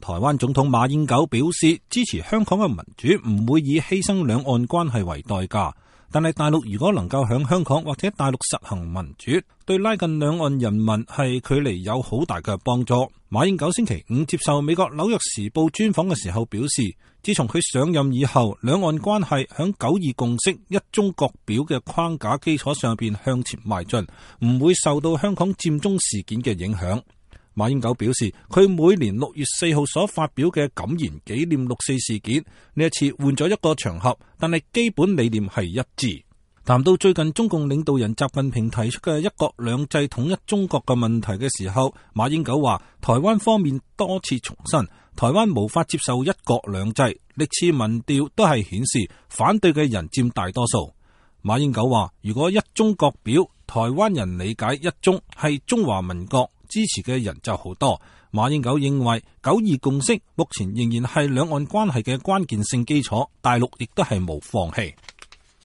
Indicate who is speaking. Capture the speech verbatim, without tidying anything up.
Speaker 1: 台灣總統馬英九表示支持香港嘅民主，唔會以犧牲兩岸關係為代價。但係大陸如果能夠響香港或者大陸實行民主，對拉近兩岸人民係距離有好大嘅幫助。馬英九星期五接受美國紐約時報專訪嘅時候表示，自從佢上任以後，兩岸關係響九二共識、一中各表嘅框架基礎上邊向前邁進，唔會受到香港佔中事件嘅影響。馬英九表示，佢每年六月四號所發表嘅感言紀念六四事件，呢一次換咗一個場合，但係基本理念係一致。談到最近中共領導人習近平提出嘅一國兩制統一中國嘅問題嘅時候，馬英九話，台灣方面多次重申，台灣無法接受一國兩制，歷次民調都係顯示反對嘅人佔大多數。馬英九話，如果一中各表，台灣人理解一中係中華民國，支持嘅人就好多。馬英九認為九二共識目前仍然係兩岸關係嘅關鍵性基礎，大陸亦都係冇放棄。